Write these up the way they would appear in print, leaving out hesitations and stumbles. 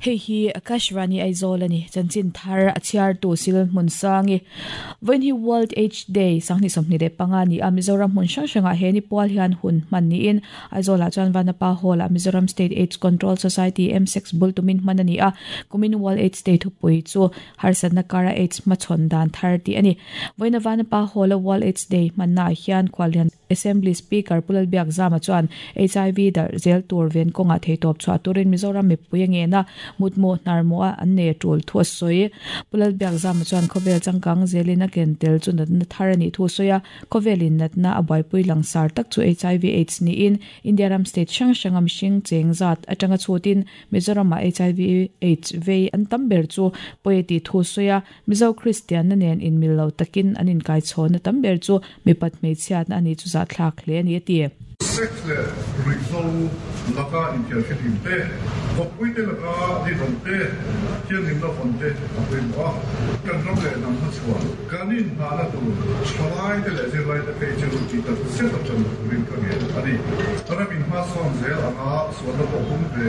Hei hi Akashvani Aizawl a ni. Chanchin thar a chhiartu Sil Hmunsangi. Vawiin hi World Aids Day 2025 ni a, Mizoram hmun hrang hrangah he ni pual hian hun hman niin Aizawlah chuan Vanapa Hall-ah Mizoram State Aids Control Society, MSACS, bul tumin hman a ni a, kumin World Aids Day thupui chu Harsatna kara Aids hmachhawn dan thar tih a ni. Vawiina Vanapa Hall-a World Aids Day hmannaah hian Khuallian Assembly Speaker Pu Lalbiakzama chuan HIV darh zel tur ven kawngah theitawp chhuah turin Mizoram mipui a ngen a, mutmawh hnarmawha an nei a tul thu a sawi. Pu Lalbiakzama chuan khawvel changkang zelin a ken tel chu natna thar a nih thu a sawi a, khawvelin natna a buaipui langsar tak chu HIV Aids niin India ram state hrang hranga mihring cheng zat atanga chhutin Mizoramah HIV Aids vei an tam ber chu pawi a tih thu sawi a, Mizo Kristianna nen inmil lo takin an inkaichhawnna tam ber chu mipat hmeichhiatna a ni chu zahthlak hle a ni a ti. Sex leh ruihhlo laka inthiarfihlim te, kawppuite laka rinawm te, thianghlimna vawn te a pawimawh a. Kan ram leh hnam hmachhuan kan inhnahna tur thalaite leh zirlaite phei chu tih tak zet atang turin ka ngen a ni. Ramin hmasawn zel anga Sualna pawh hum ve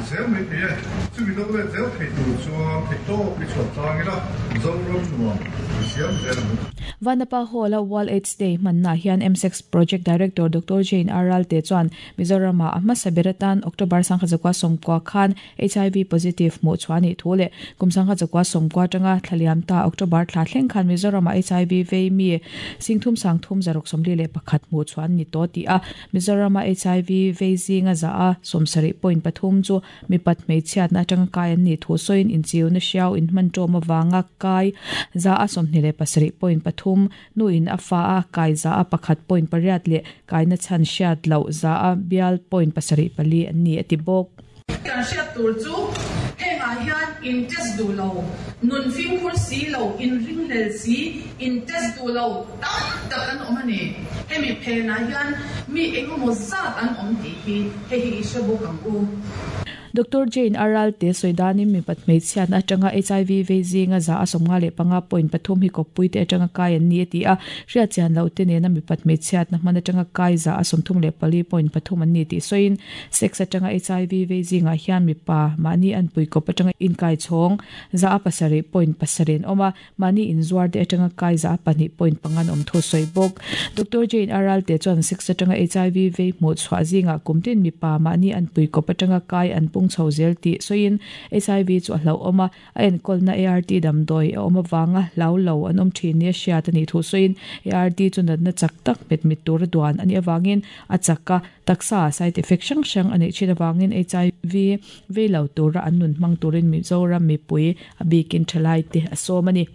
zel mai thei e. Chumi do let zel thei tur chuan theihtawp i chhuah tlang ila, Zoram nuam i siam zel ang u. Vanapa Hall-a World Aids Day hmannaah hian MSEX Project Director Doctor Jane R. Ralte chuan Mizoramah a hmasa ber atan October 1990 khan HIV positive hmuh chhuah a nih thu leh kum 1990 atanga thla liam ta October thla thleng khan Mizoramah HIV vei mi 33,341 hmuh chhuah an ni tawh tih a Mizorama HIV vei zinga za a 70 point pathum chu mipat hmeichhiatna atanga kai an nih thu sawiin inchiuna hriau inhman ṭawm avanga kai za a 27 point pathum, nuin a fa a kai za a pakhat point pariat leh kaina chhan hriat loh za a bial point pasarih pali an ni a ti bawk. Kan hriat tur chu hengah hian in test duh lo, nun fimkhur si lo, in ringhlel si, in test duh lo tam tak an awm a ni. Hemi phenah hian mi engemaw zat an awm tih hi hei hi i hre bawk ang u. Doctor Jane a ralte sawi danin mipat hmeichhiatna atanga HIV vei zinga za a 55 point pathum hi kawppuite atanga kai an ni a ti a, hriatchian lohte nena mipat hmeichhiatna hman atanga kai za a 34 point pathum an ni tih sawiin Sex atanga HIV vei zingah hian mipa mahni anpui kawp atanga inkai chhawng za a pasarih point pasarih an awm a, mahni inzuar te atanga kai za a pahnih point panga an awm thu sawi bawk. Doctor Jane Aralte chuan sex atanga HIV vei hmuh chhuah zingah kum tin mipa mahni anpui kawp atanga kai an pung chho zel tih sawiin HIV chu a hlauhawm a, A enkawlna ART damdawi a awm avanga hlau lo an awm thin nia hriat a nih thu sawiin ART chu natna chak tak hmet mit tura duan a nih avangin a chak a, taksa side effect hrang hrang a neih thin avangin HIV vei lo tura an nun hmang turin Mizoram mipui a bikin thalaite a sawm a ni.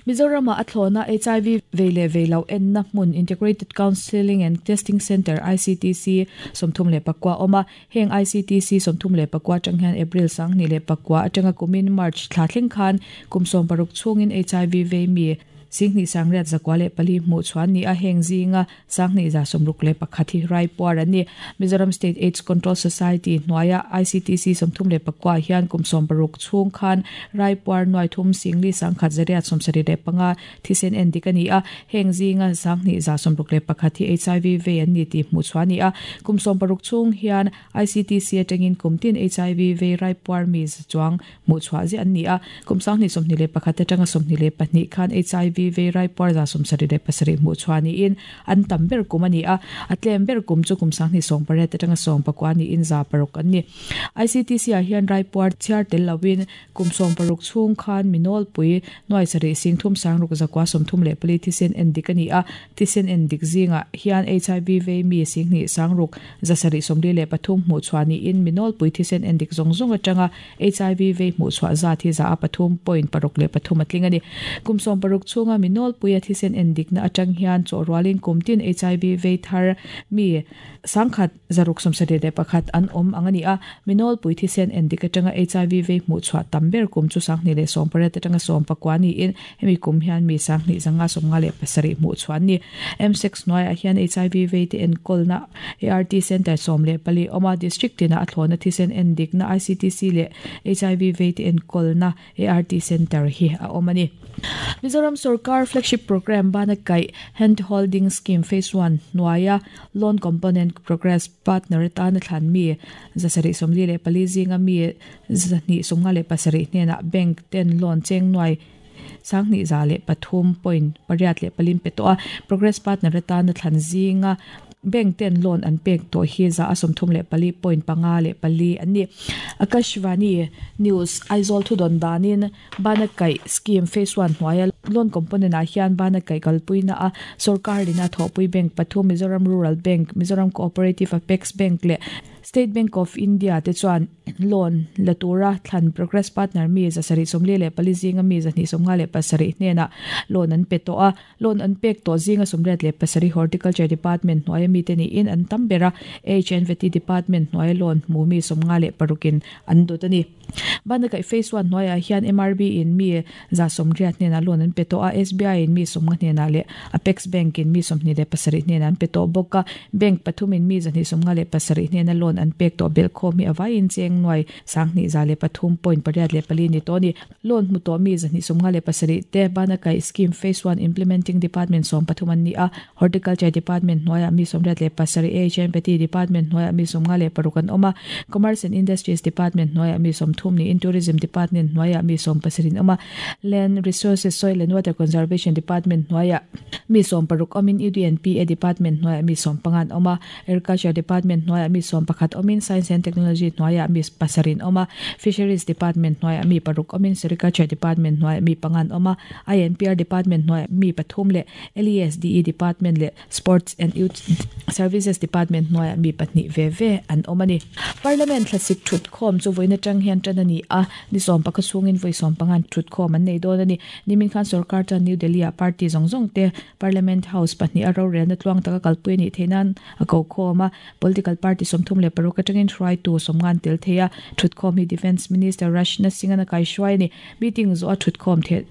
Mizoramah a thlawna HIV vei leh vei loh enna hmun Integrated Counselling and Testing Centre, ICTC, 34 a awm a. Heng ICTC 34 atang hian April 2009 atanga kumin March thla thleng khan kum 60 chhungin HIV vei mi 29,904 hmuh chhuah an ni a, heng zinga 2161 hi raipuar an ni. Mizoram State Aids Control Society hnuaia ICTC 34 hian kum 60 chhung khan raipuar nuai thum singli sangkhat zariat 75 Thisen en dik a ni a, heng zinga 2161 hi HIV vei an ni tih hmuh chhuah a ni a. Kum 60 chhung hian ICTC atangin kum tin HIV vei raipuar mi za chuang hmuh chhuah ziah an ni a. Kum 2021 atanga 22 khan HIV vei raipuar za 77 hmuh chhuah niin an tam ber kum a ni a. A tlem ber kum chu kum 28 atanga 19 niin za paruk an ni. ICTC ah hian raipuar chhiar tel loin Kum 60 chhung khan mi nawlpui nuai sarih sing thum sang ruk zakua 34 thisen en dik a ni a, thisen en dik zingah hian HIV vei mi sing hnih sang ruk za sarih 43 hmuh chhuah niin mi nawlpui thisen en dik zawng zawng atanga HIV vei hmuh chhuah zat hi za a pathum point paruk leh pathum a tling a ni. Kum 60 chhunga mi nawlpuia thisen en dikna atang hian chawhrualin kum tin HIV vei thar mi Sangkhat zaruk 71 an awm ang a ni a, mi nawlpui thisen endik atanga HIV vei hmuh chhuah tam ber kum chu 2018 atanga 19 niin hemi kum hian mi 2557 hmuh chhuah an ni. M-sex hnuaiah hian HIV vei te enkawlna ART Centre 14 awm a, District tinah a thlawhna thisen endikna ICTC leh HIV vei te enkawlna ART Centre hi a awm a ni. Mizoram sawrkar. Sorkar flagship programme bana kaih Hand Holding Scheme Phase One hnuaia Loan Component Progress Partner atana thlan mi 744 zinga mi 257 hnenah bank ten loan cheng nuai 2103.84 pe tawh a. Progress Partner atana thlan zinga Bank ten loan an pek tawh hi 34.54 an ni. Akashvani News, Aizawl thudawn danin Bana Kaih Scheme Phase One hnuaia loan component ah hian Bana Kaih kalpuina a sorkar lina thawhpui bank pathum Mizoram Rural Bank, Mizoram Cooperative Apex Bank leh State Bank of India te chuan loan la tura thlan Progress Partner mi 744 zinga mi 257 hnenah loan an pe tawh a. Loan an pek tawh zinga 87 Horticulture Department hnuaia mite niin an tam ber a, HNVT Department hnuaia loan hmu mi 56 in an dawt a ni. Banakaih Phase One hnuaiah hian MRB in mi 80 hnenah loan an pe tawh a, SBI in mi 50 hnenah leh Apex Bank in mi 27 hnenah an pe tawh bawk a. Bank pathum in mi 257 hnena loan an pek tawh belhkhawm hi a vaiin cheng nuai 2103.84 ni tawh a ni. Loan hmu tawh mi 257 te Banakaih Scheme Phase One Implementing Department 13 an ni a, Horticulture Department hnuaiah mi 87, AHNPT Department hnuaiah mi 56 an awm a, Commerce and Industries Department hnuaiah mi 30 niin Tourism Department hnuaiah mi 17 an awm a, Land Resources, Soil and Water Conservation Department hnuaiah mi 16 awmin UDNPA Department hnuaiah mi 15 an awm a, Agriculture Department hnuaiah mi 11 awmin Science and Technology hnuaiah mi pasarih an awm a, Fisheries Department hnuaiah mi paruk awmin Sericulture Department hnuaiah mi panga an awm a, INPR Department hnuaiah mi pathum leh LESDE Department leh Sports and Youth Services Department hnuaiah mi pahnih ve ve an awm a ni. Parliament thlasik thutkhawm chu vawiin atang hian tan a ni a, ni sawmpakha chhungin vawi sawmpangan thutkhawm an nei dawn a ni. Nimin khan sorkar chuan New Delhi-ah party zawng zawng te Parliament House pahnih a rorelna tluang taka kalpui a nih theih nan a ko khawm a, political party 36 atangin hruaitu sawmngan tel thei a, thutkhawm hi Defence Minister Rajnath Singh-an a kaihruai a ni. Meeting zawh a thutkhawm theh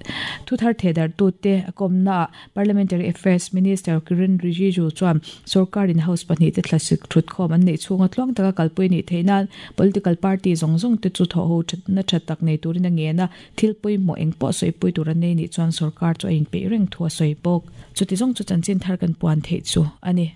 thuthar thehdarhtute a kawmnaah Parliamentary Affairs Minister Kiren Rijiju chuan sorkarin House pahnih te thlasik thutkhawm an neih chhunga tluang taka kalpui a nih theih nan political party zawng zawng te chu thawhho thatna tha tak nei turin a ngen a, thil pawimawh eng pawh sawipui tur an nei nih chuan sorkar chu a inpeih reng thu a sawi bawk. Chuti zawng chu chanchin thar kan puan theih chu a ni.